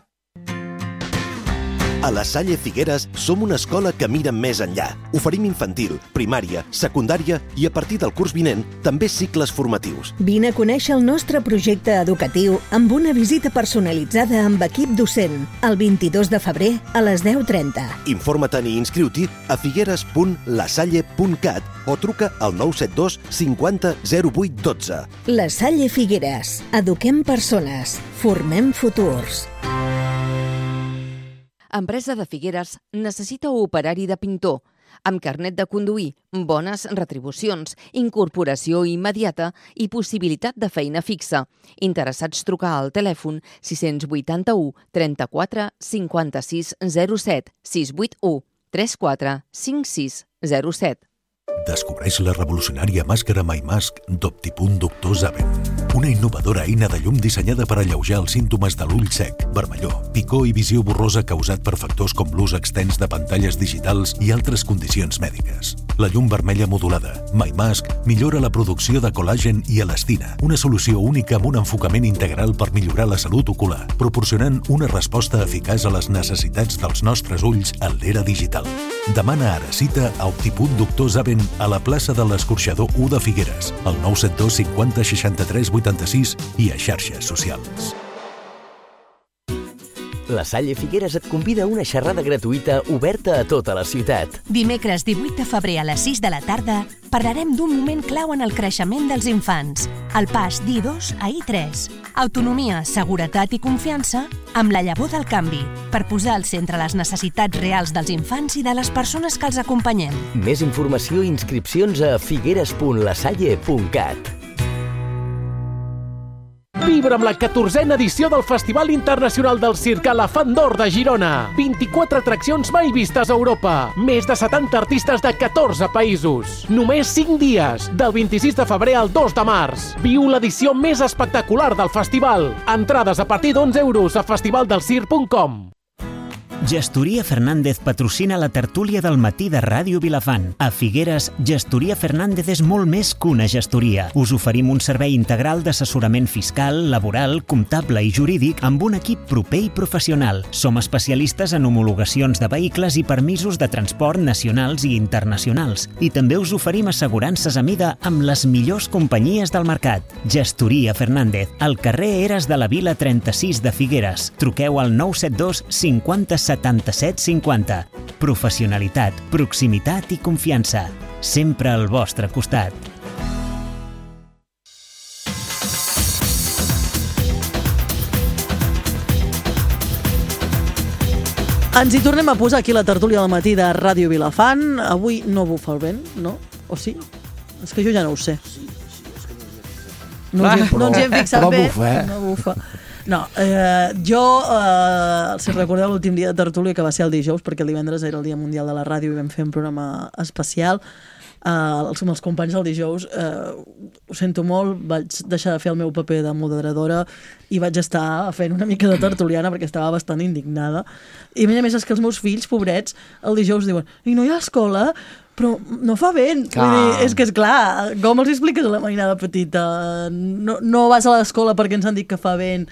A la Salle Figueres som una escola que mira més enllà. Oferim infantil, primària, secundària i a partir del curs vinent també cicles formatius. Vine a conèixer el nostre projecte educatiu amb una visita personalitzada amb equip docent el 22 de febrer a les 10:30. Informa-te'n i inscriu-t'hi a figueres.lasalle.cat o truca al 972 50 08 12. La Salle Figueres. Eduquem persones. Formem futurs. Empresa de Figueres necessita operari de pintor, amb carnet de conduir, bones retribucions, incorporació immediata i possibilitat de feina fixa. Interessats trucar al telèfon 681 34 56 07 681 34 56 07. Descobreix la revolucionària màscara MyMask d'Optipunt Doctor Zaven. Una innovadora eina de llum dissenyada per alleujar els símptomes de l'ull sec, vermellor, picor i visió borrosa causat per factors com l'ús extens de pantalles digitals i altres condicions mèdiques. La llum vermella modulada, MyMask, millora la producció de col·làgen i elastina, una solució única amb un enfocament integral per millorar la salut ocular, proporcionant una resposta eficaç a les necessitats dels nostres ulls en l'era digital. Demana ara cita a Optipunt Doctor Zaven a la plaça de l'Escorxador 1 de Figueres, al 972 50 63 86 i a xarxes socials. La Salle Figueres et convida a una xerrada gratuïta oberta a tota la ciutat. Dimecres 18 de febrer a les 6 de la tarda parlarem d'un moment clau en el creixement dels infants, el pas d'I2 a I3. Autonomia, seguretat i confiança amb la llavor del canvi, per posar al centre les necessitats reals dels infants i de les persones que els acompanyem. Més informació i inscripcions a figueres.lasalle.cat. Vibra amb la 14a edició del Festival Internacional del Circ a la Fan d'Or de Girona. 24 atraccions mai vistes a Europa. Més de 70 artistes de 14 països. Només 5 dies, del 26 de febrer al 2 de març. Viu l'edició més espectacular del festival. Entrades a partir d'11 € a festivaldelscirc.com. Gestoria Fernández patrocina la tertúlia del matí de Ràdio Vilafant. A Figueres, Gestoria Fernández és molt més que una gestoria. Us oferim un servei integral d'assessorament fiscal, laboral, comptable i jurídic amb un equip proper i professional. Som especialistes en homologacions de vehicles i permisos de transport nacionals i internacionals. I també us oferim assegurances a mida amb les millors companyies del mercat. Gestoria Fernández, al carrer Eres de la Vila 36 de Figueres. Truqueu al 972 50 77 50. Professionalitat, proximitat i confiança. Sempre al vostre costat. Ens hi tornem a posar aquí la tertúlia del matí de Ràdio Vilafant. Avui no bufa el vent, no? O sí? És que jo ja no ho sé. No ens hi hem fixat bé. No bufa. No, jo, si recordeu l'últim dia de tertúlia, que va ser el dijous, perquè el divendres era el Dia Mundial de la Ràdio i vam fer un programa especial, els companys del dijous, ho sento molt, vaig deixar de fer el meu paper de moderadora i vaig estar fent una mica de tertuliana perquè estava bastant indignada. I a més és que els meus fills, pobrets, el dijous diuen, i no hi ha escola? Però no fa vent. Vull dir, és que és clar, com els expliques a la mainada petita? No vas a l'escola perquè ens han dit que fa vent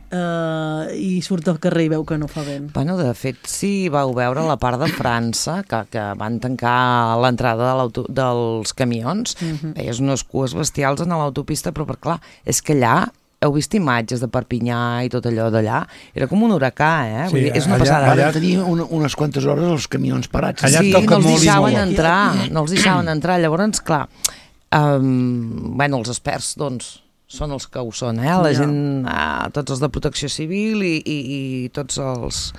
i surt al carrer i veu que no fa vent. Bueno, de fet, si vau veure la part de França, que van tancar l'entrada dels camions, veies unes cues bestials en l'autopista, però clar, és que allà heu vist imatges de Perpinyà i tot allò d'allà? Era com un huracà, eh? Vull dir, és una passada. Allà tenia unes quantes hores els camions parats. Sí, no els deixaven entrar. Llavors, clar, bueno, els experts, doncs, són els que ho són, eh? La gent, tots els de protecció civil i tots els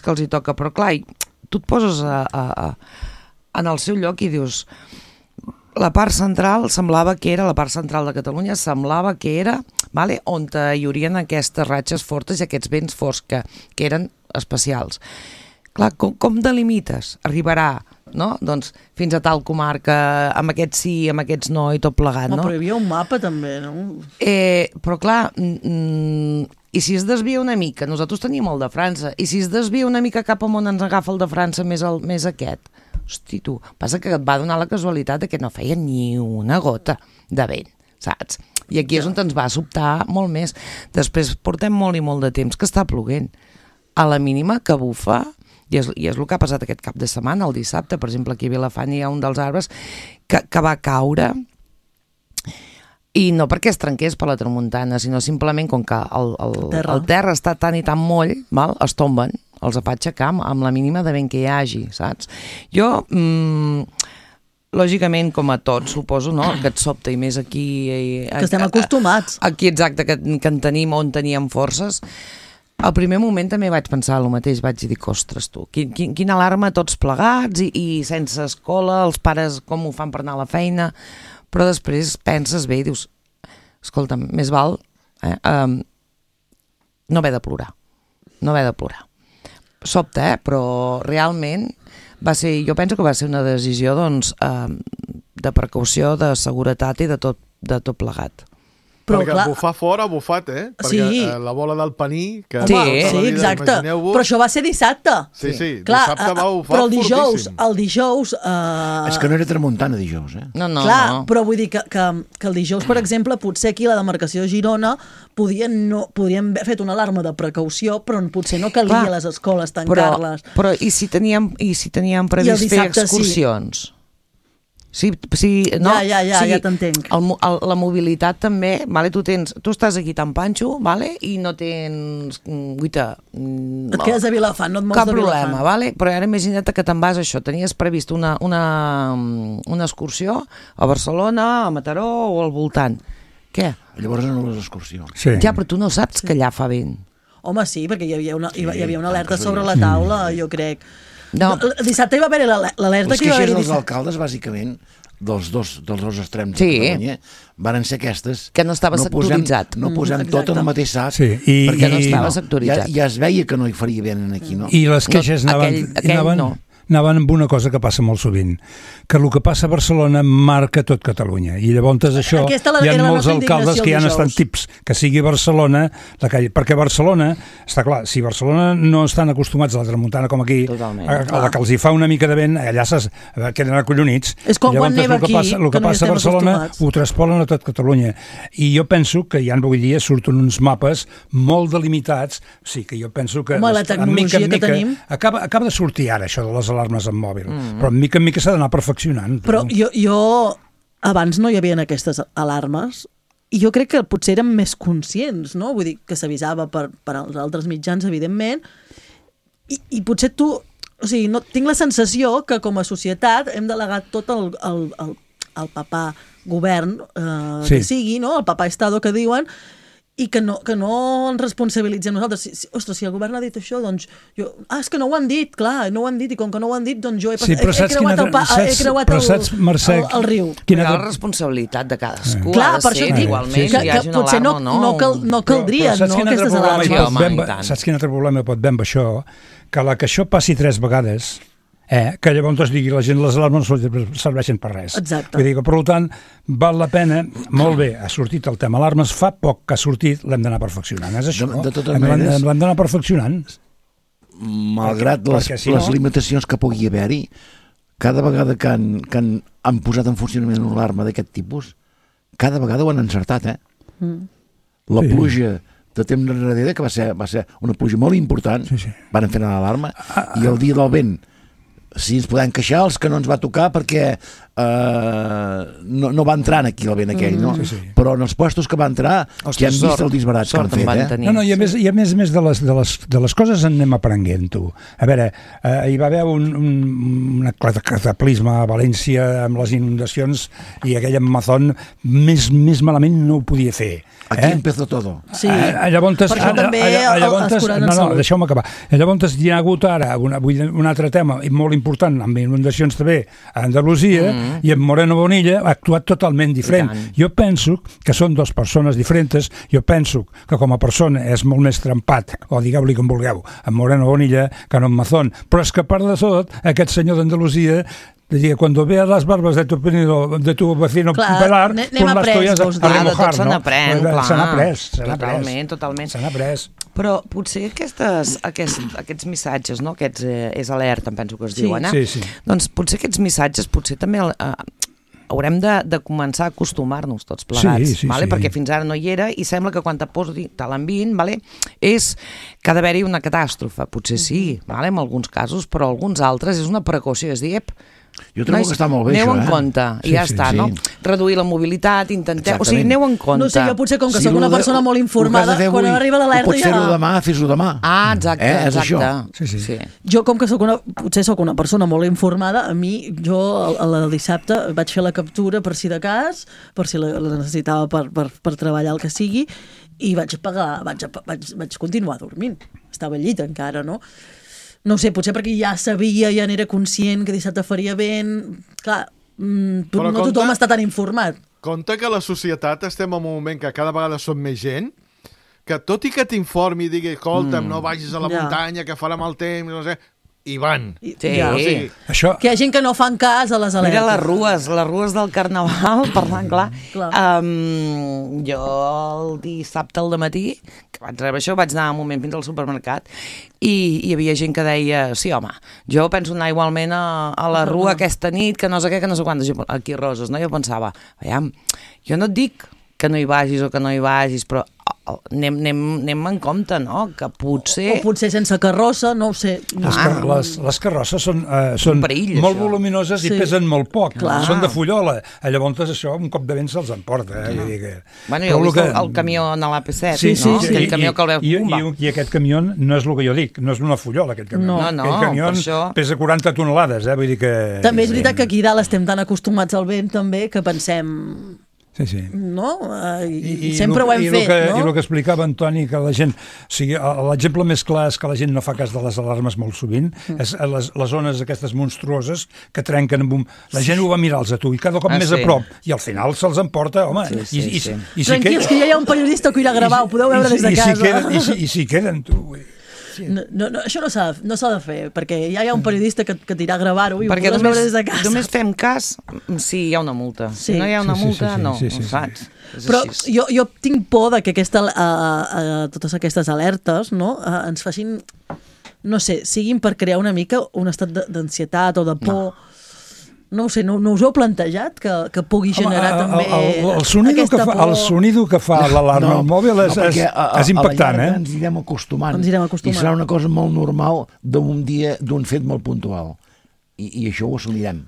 que els hi toca. Però clar, tu et poses a en el seu lloc i dius, la part central semblava que era, la part central de Catalunya semblava que era, vale, on hi haurien aquestes ratxes fortes i aquests vents forts que eren especials. Clar, com delimites? Arribarà, no? Doncs fins a tal comarca, amb aquests sí, amb aquests no, i tot plegat, no? Però hi havia un mapa també, no? Però clar, i si es desvia una mica, nosaltres teníem el de França, i si es desvia una mica cap amunt ens agafa el de França més aquest? Hosti, tu, passa que et va donar la casualitat que no feia ni una gota de vent, saps? I aquí és on ens va sobtar molt més. Després portem molt i molt de temps que està ploguent. A la mínima que bufa, i és el que ha passat aquest cap de setmana, el dissabte, per exemple, aquí a Vilafant hi ha un dels arbres que va caure, i no perquè es trenqués per la tramuntana, sinó simplement com que el terra està tan i tan moll, val? Es tomben, els fa aixecar amb la mínima de vent que hi hagi, saps? Jo, lògicament, com a tots, suposo, no?, que et sobta, i més aquí... Que estem acostumats. Aquí, exacte, que en tenim on teníem forces. Al primer moment també vaig pensar el mateix, vaig dir, ostres, tu, quina alarma tots plegats i sense escola, els pares com ho fan per anar a la feina, però després penses bé i dius, escolta, més val no haver de plorar, Sobta, però realment jo penso que va ser una decisió, doncs, de precaució, de seguretat i de tot plegat. Però, perquè clar, bufar fora ha bufat, perquè la bola del paní... Sí, exacte. Però això va ser dissabte. Sí, dissabte va bufar però el dijous... És que no era tramuntana dijous, No. Però vull dir que el dijous, per exemple, potser aquí a la demarcació de Girona podien haver fet una alarma de precaució, però potser no calia a les escoles tancar-les. Però i si teníem previst fer excursions? Sí, no? Ja t'entenc. La mobilitat també, vale? Tu estàs aquí tan panxo, vale? I no tens et quedes a Vilafant, no et mous cap de Vilafant. problema, vale? Però ara imagina't que te'n vas això, tenies previst una excursió a Barcelona, a Mataró o al voltant. Què? Llavors no les excursions. Sí. Ja, però tu no saps que allà fa vent. Home, sí, perquè hi havia una alerta sobre la taula, jo crec. No. Dissabte hi va haver l'alerta que hi va haver... Les queixes dels alcaldes, bàsicament, dels dos extrems de Catalunya, van ser aquestes... Que no estava sectoritzat. No posem tot en el mateix sac, perquè no estava sectoritzat. Ja es veia que no hi faria bé aquí, no? I les queixes anaven amb una cosa que passa molt sovint, que el que passa a Barcelona marca tot Catalunya, i llavors això hi ha molts alcaldes que ja estan tips que sigui Barcelona, perquè Barcelona, està clar, si Barcelona no estan acostumats a la tramuntana com aquí, a la que els hi fa una mica de vent, allà queden acollonits. És com quan neva aquí, el que passa a Barcelona ho traspolen a tot Catalunya, i jo penso que ja avui dia surten uns mapes molt delimitats, sí que jo penso que la tecnologia que tenim acaba de sortir ara això de les alarmes en mòbil, però mica en mica s'ha d'anar perfeccionant. Però jo abans no hi havia aquestes alarmes i jo crec que potser érem més conscients, no? Vull dir que s'avisava per als altres mitjans, evidentment, i potser tu, o sigui, no, tinc la sensació que com a societat hem delegat tot el papà govern que sigui, no? El papà estado que diuen, i que no ens responsabilitzem nosaltres. Ostres, si el govern ha dit això, doncs és que no ho han dit, clar, no ho han dit, i com que no ho han dit, doncs jo he creuat el riu. Però la responsabilitat de cadascú ha de ser igualment, que hi hagi una alarma o no. No caldrien, no, aquestes alarmes. Saps quin altre problema pot haver amb això? Que això passi 3 vegades, que llavors digui la gent les alarmes no serveixen per res. Exacte. Vull dir que, per tant, val la pena, molt bé, ha sortit el tema alarmes, fa poc que ha sortit, l'hem d'anar perfeccionant. És això, l'hem d'anar perfeccionant. Malgrat les limitacions que pugui haver-hi, cada vegada que han posat en funcionament una alarma d'aquest tipus, cada vegada ho han encertat, La pluja de temps enrere, que va ser una pluja molt important, van fer l'alarma, i el dia del vent, si ens podem queixar, els que no ens va tocar perquè no va entrar aquí el vent aquell, no? Però en els puestos que va entrar, que han vist el disbarat que han fet, No, i a més de les coses en anem aprenent, tu. A veure, hi va haver un cataclisme a València amb les inundacions i aquell Amazon més malament no ho podia fer. Aquí empezó todo. Sí, per això també els curant en salut. Deixeu-me acabar. Llavors hi ha hagut ara un altre tema molt important amb inundacions també a Andalusia i en Moreno Bonilla ha actuat totalment diferent. Jo penso que són dues persones diferents. Jo penso que com a persona és molt més trempat, o digueu-li com vulgueu, en Moreno Bonilla que en Mazón. Però és que a part de tot, aquest senyor d'Andalusia cuando veas las barbas de tu vecino pelar, anem après, a remojar, se n'aprèn, clar. Totalment. Se n'ha après. Però potser aquests missatges, no? Aquests és alerta, em penso que es diuen, doncs potser aquests missatges també haurem de començar a acostumar-nos tots plegats, perquè fins ara no hi era i sembla que quan te l'envien és que ha d'haver-hi una catàstrofe, potser sí, en alguns casos, però alguns altres és una precaució, és dir, jo trobo que està molt bé, aneu això, en compte, i ja està, no? Reduir la mobilitat, intenteu... O sigui, aneu en compte. No sé, jo potser com que soc una persona molt informada, quan arriba l'alerta ja... Pots fer-ho demà, fes-ho demà. Ah, exacte. És això. Jo com que potser soc una persona molt informada, a mi, jo el dissabte vaig fer la captura per si de cas, per si la necessitava per treballar el que sigui, i vaig continuar dormint. Estava al llit encara, no? No sé, potser perquè ja sabia, ja n'era conscient que dissabte faria vent. Clar, no tothom està tan informat. Compte que a la societat estem en un moment que cada vegada som més gent, que tot i que t'informi i digui, escolta'm, no vagis a la muntanya, que farà mal temps, no sé... I van. Sí. Això... Que hi ha gent que no fan cas a les alertes. Mira les rues del Carnaval, parlant clar. Jo el dissabte al dematí, que vaig rebre això, vaig anar un moment fins al supermercat i hi havia gent que deia, sí home, jo penso anar igualment a la rua aquesta nit, que no sé què, que no sé quantes, aquí a Roses, no? Jo pensava, veiem, jo no et dic que no hi vagis o que no hi vagis, però anem en compte, no? Que potser... O potser sense carrossa, no ho sé. Les carrosses són perill, molt voluminoses i pesen molt poc. Clar. Són de fullola. Llavors això, un cop de vent se'ls emporta. Bueno, jo he vist el camió a l'AP7, no? Aquell camió que el veus bomba. I aquest camió no és el que jo dic, no és una fullola, aquest camió. No, aquest camió pesa 40 tonelades, vull dir que... També és veritat que aquí dalt estem tan acostumats al vent també que pensem... Sí. No? I sempre ho hem fet, no? I el que explicava Antoni, que la gent... O sigui, l'exemple més clar és que la gent no fa cas de les alarmes molt sovint, és les ones aquestes monstruoses que trenquen amb un... La gent ho va mirar-los a tu, i cada cop més a prop, i al final se'ls emporta, home... Tranquils, que ja hi ha un periodista que ho irà gravar, ho podeu veure des de casa. I si queden, tu... No, això no s'ha de fer, perquè ja hi ha un periodista que t'irà a gravar-ho i ho podràs veure des de casa. Només fem cas si hi ha una multa. Si no hi ha una multa, no, saps? Però jo tinc por que totes aquestes alertes ens facin, no sé, siguin per crear una mica un estat d'ansietat o de por... No ho sé, no us heu plantejat que pugui generar també aquesta por? El sonido que fa l'alarma al mòbil és impactant, eh? Ens irem acostumant. I serà una cosa molt normal d'un fet molt puntual. I això ho assumirem.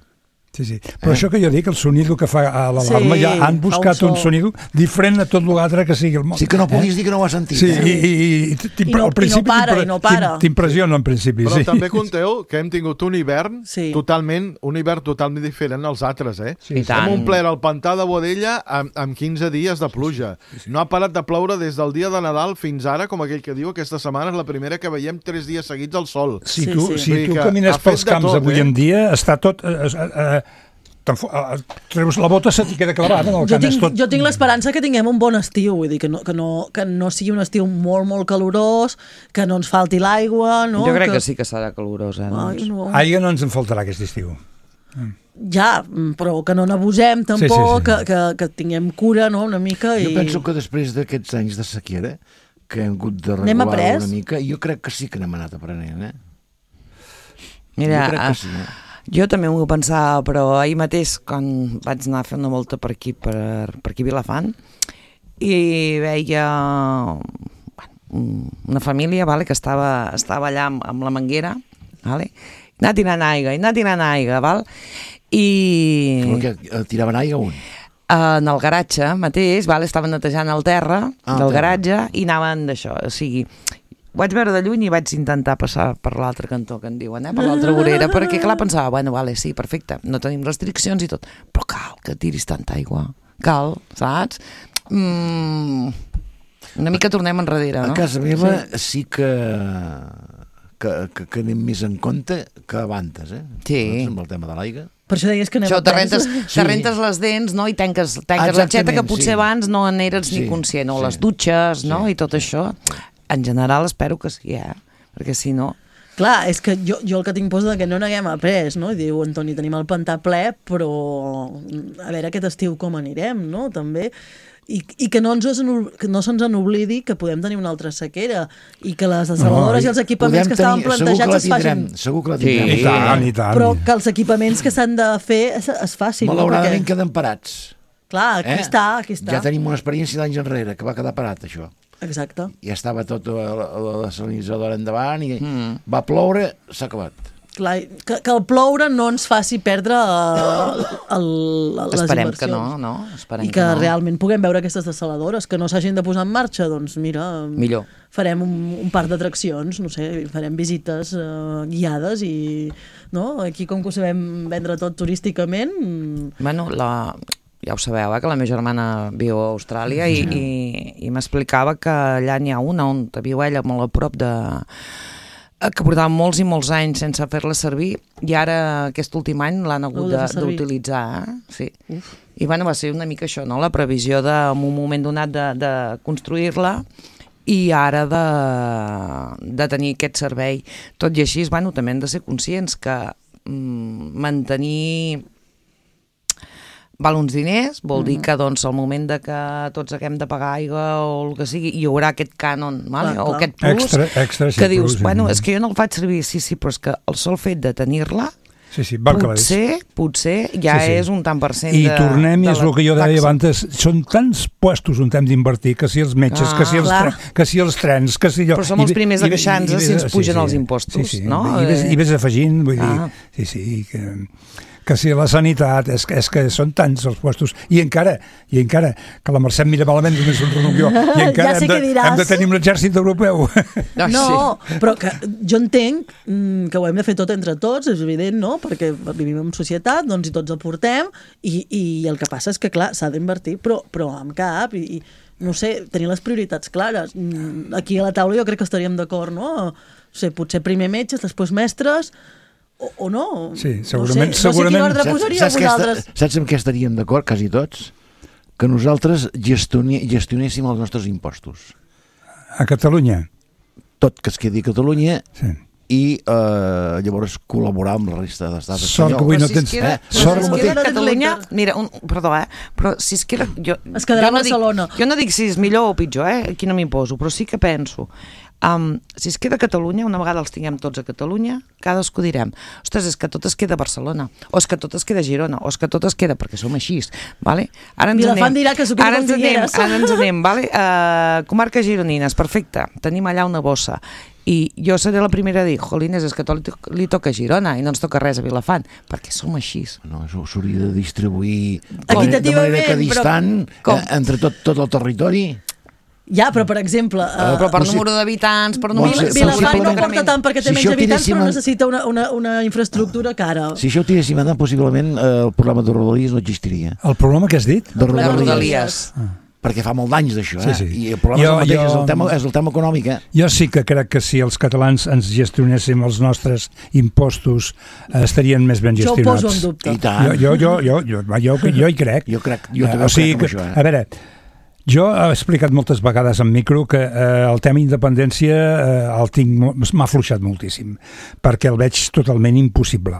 Sí. Però això que jo dic, el sonido que fa a l'alarma, ja han buscat un sonido diferent a tot l'altre que sigui el mòbil. Sí que no puguis dir que no ho has sentit. Sí, i no para. T'impressiona en principi. Però també compteu que hem tingut un hivern totalment diferent als altres, eh? Hem omplert el pantà de Boadella amb 15 dies de pluja. No ha parat de ploure des del dia de Nadal fins ara, com aquell que diu, aquesta setmana és la primera que veiem 3 dies seguits al sol. Si tu camines pels camps avui en dia, està tot... treus la bota, se t'hi queda clavada en el camp. Jo tinc l'esperança que tinguem un bon estiu, vull dir, que no sigui un estiu molt, molt calorós, que no ens falti l'aigua, no? Jo crec que sí que serà calorós, Aigua no ens en faltarà aquest estiu. Ja, però que no n'abusem tampoc, que tinguem cura, no?, una mica. Jo penso que després d'aquests anys de sequera, que hem hagut de regular una mica, jo crec que sí que n'hem anat aprenent, eh? Mira, jo crec que sí, jo també ho pensava, però ahir mateix, quan vaig anar a fer una volta per aquí a Vilafant, i veia una família que estava allà amb la manguera, anar tirant aigua, val? I... Que tiraven aigua on? En el garatge mateix, val? Estaven netejant el terra del garatge i anaven d'això, o sigui... Ho vaig veure de lluny i vaig intentar passar per l'altre cantó, que en diuen, per l'altra vorera, perquè clar, pensava, bueno, vale, sí, perfecte, no tenim restriccions i tot, però cal que tiris tanta aigua, cal, saps? Una mica tornem enrere, no? A casa meva sí que anem més en compte que abans, Sí. Amb el tema de l'aigua. Per això deies que anem te rentes les dents, no? I tanques l'aixeta, que potser abans no n'eres ni conscient, o les dutxes, no? I tot això. En general espero que sí, perquè si no... Clar, és que jo el que tinc por és que no n'haguem après, no? I diu, Antoni, tenim el pantà ple, però a veure aquest estiu com anirem, no? També... I que no se'ns n'oblidi que podem tenir una altra sequera i que les desaladores i els equipaments que estaven plantejats es facin. Segur que la tindrem. I tant. Però que els equipaments que s'han de fer es facin. Malauradament queden parats. Clar, aquí està. Ja tenim una experiència d'anys enrere, que va quedar parat, això. Exacte. Ja estava tot la desalinitzadora endavant i va ploure, s'ha acabat. Clar, que el ploure no ens faci perdre les Esperem inversions. que no. Esperem I que no. Realment puguem veure aquestes desaladores, que no s'hagin de posar en marxa, doncs mira, millor. Farem un parc d'atraccions, no sé, farem visites guiades i no? Aquí com que ho sabem vendre tot turísticament... Bueno, ja ho sabeu, que la meva germana viu a Austràlia i m'explicava que allà n'hi ha una on viu ella molt a prop de... que portava molts i molts anys sense fer-la servir i ara aquest últim any l'han hagut d'utilitzar. Sí. I bueno, va ser una mica això, no? La previsió en un moment donat de construir-la i ara de tenir aquest servei. Tot i així, bueno, també hem de ser conscients que mantenir val uns diners, vol dir que doncs al moment de que tots haguem de pagar aigua o el que sigui, hi haurà aquest cànon, vale? O aquest plus, extra, que dius, bueno, és que jo no el faig servir, sí, però és que el sol fet de tenir-la potser ja és un tant per cent I tornem, i és el que jo deia abans, són tants puestos on hem d'invertir, que si els metges, que si els trens, que si allò... Però som els primers a queixar-nos si ens pugen els impostos, no? I ves afegint, vull dir, que si la sanitat, és que són tants els puestos, i encara, que la Mercè em mira malament, només un renunció, i encara hem de tenir un exèrcit europeu. No, però que jo entenc que ho hem de fer tot entre tots, és evident, no? Perquè vivim en societat, doncs i tots aportem, i el que passa és que, clar, s'ha d'invertir, però amb cap, i no sé, tenir les prioritats clares. Aquí a la taula jo crec que estaríem d'acord, no? O sigui, potser primer metges, després mestres, o no? Sí, segurament. No sé quin ordre posaríeu vosaltres. Saps amb què estaríem d'acord, quasi tots? Que nosaltres gestionéssim els nostres impostos. A Catalunya? Tot que es quedi a Catalunya i llavors col·laborar amb la resta de l'estat espanyol. Sort que avui no tens... Sort que queda a Catalunya... Mira, perdó, però si es queda... Es quedarà a Barcelona. Jo no dic si és millor o pitjor, aquí no m'hi poso, però sí que penso... si es queda a Catalunya, una vegada els tinguem tots a Catalunya, cadascú direm, ostres, és que tot es queda a Barcelona, o és que tot es queda a Girona, o és que tot es queda, perquè som així, vale? Ara ens anem, vale? Comarques gironines, perfecte, tenim allà una bossa, i jo seré la primera a dir, jolines, és que tot li toca a Girona i no ens toca res a Vilafant, perquè som així. No, s'hauria de distribuir de manera equidistant entre tot el territori. Ja, però per exemple... però per número d'habitants, per número... Vilafant no porta tant perquè té menys habitants, però necessita una infraestructura cara. Si això ho tiréssim endavant, possiblement el programa de Rodalies no existiria. El programa que has dit? De Rodalies. Perquè fa molt d'anys d'això, i el problema és el tema econòmic. Jo sí que crec que si els catalans ens gestionéssim els nostres impostos estarien més ben gestionats. Jo ho poso en dubte. I tant. Jo hi crec. Jo també crec en això. A veure... Jo he explicat moltes vegades en micro que el tema independència m'ha afluixat moltíssim, perquè el veig totalment impossible,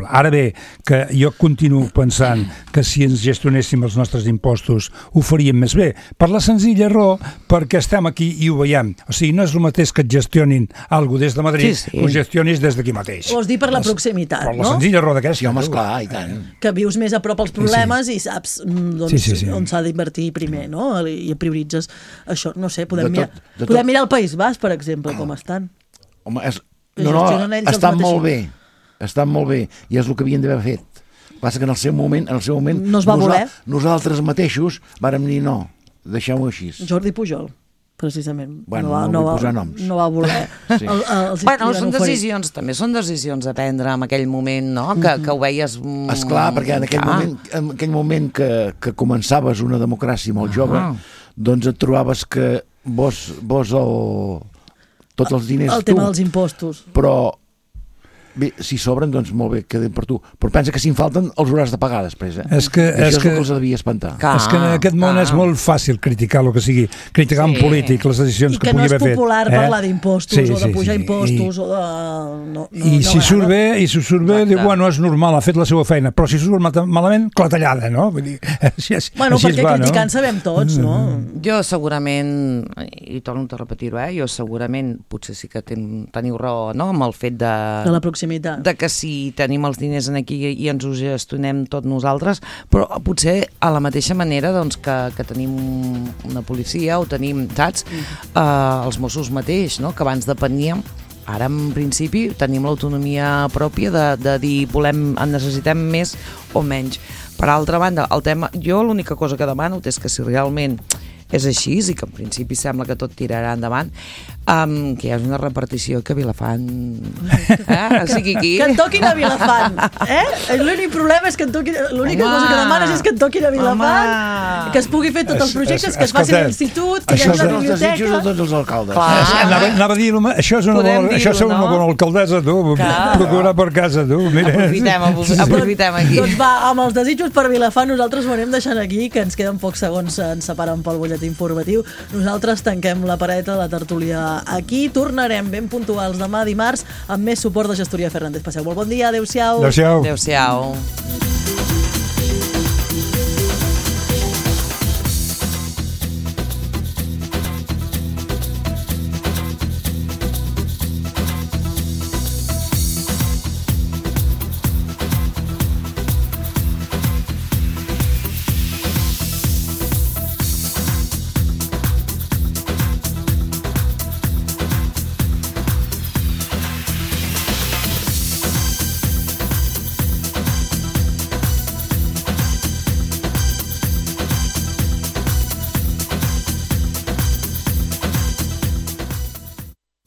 Ara bé, que jo continuo pensant que si ens gestionéssim els nostres impostos ho faríem més bé, per la senzilla raó perquè estem aquí i ho veiem. O sigui, no és el mateix que et gestionin alguna cosa des de Madrid, ho gestionis des d'aquí mateix. Vols dir per la proximitat, no? Per la senzilla raó d'aquesta. Home, esclar, i tant. Que vius més a prop als problemes i saps on s'ha d'invertir primer, no? I prioritzes això, no sé, podem mirar el País Basc, per exemple, com estan. Home, estan molt bé. Estan molt bé. I és el que havien d'haver fet. Passa que en el seu moment no es va voler. Nosaltres mateixos vàrem dir no, deixem-ho així. Jordi Pujol, precisament. Bueno, no vull posar noms. No va voler. Sí. Bueno, són decisions, també són decisions a prendre en aquell moment, no? Que ho veies... Esclar, perquè en aquell moment que començaves una democràcia molt jove, doncs et trobaves que vos tots els diners el tema dels impostos. Però bé, si sobren, doncs molt bé, queden per tu. Però pensa que si en falten els hauràs de pagar després. És que els devia espantar. És que en aquest món és molt fàcil criticar el que sigui. Criticar un polític, les decisions que pugui haver fet. I que no és popular parlar d'impostos o de pujar impostos o de... I si surt bé, diu, bueno, és normal, ha fet la seva feina. Però si surt malament, clatellada, no? Vull dir, bueno, perquè criticant sabem tots, no? Jo segurament, i torno a repetir-ho, jo segurament, potser sí que teniu raó, no?, amb el fet de la proximitat. De que si tenim els diners aquí i ens ho gestionem tot nosaltres, però potser a la mateixa manera doncs, que tenim una policia o tenim, saps, els Mossos mateix, no?, que abans depeníem. Ara, en principi, tenim l'autonomia pròpia de dir necessitem més o menys. Per altra banda, el tema, jo l'única cosa que demano és que si realment és així, i que en principi sembla que tot tirarà endavant, que hi hagi una repartició que Vilafant... O sigui, aquí... Que en toquin a Vilafant, L'únic problema és que l'única cosa que demanes és que en toquin a Vilafant, que es pugui fer tots els projectes, que es faci a l'institut, que hi hagi una biblioteca... Això són els desitjos de tots els alcaldes. Anava a dir, això és una bona alcaldessa, tu, procurar per casa, tu. Aprofitem aquí. Doncs va, amb els desitjos per Vilafant, nosaltres ho anem deixant aquí, que ens queden pocs segons, ens separen pel butlletí informatiu. Nosaltres tanquem la pareta de la tertúlia aquí. Tornarem ben puntuals demà dimarts amb més suport de Gestoria Fernández. Passeu molt bon dia. Adéu-siau. Adéu-siau. Adéu-siau.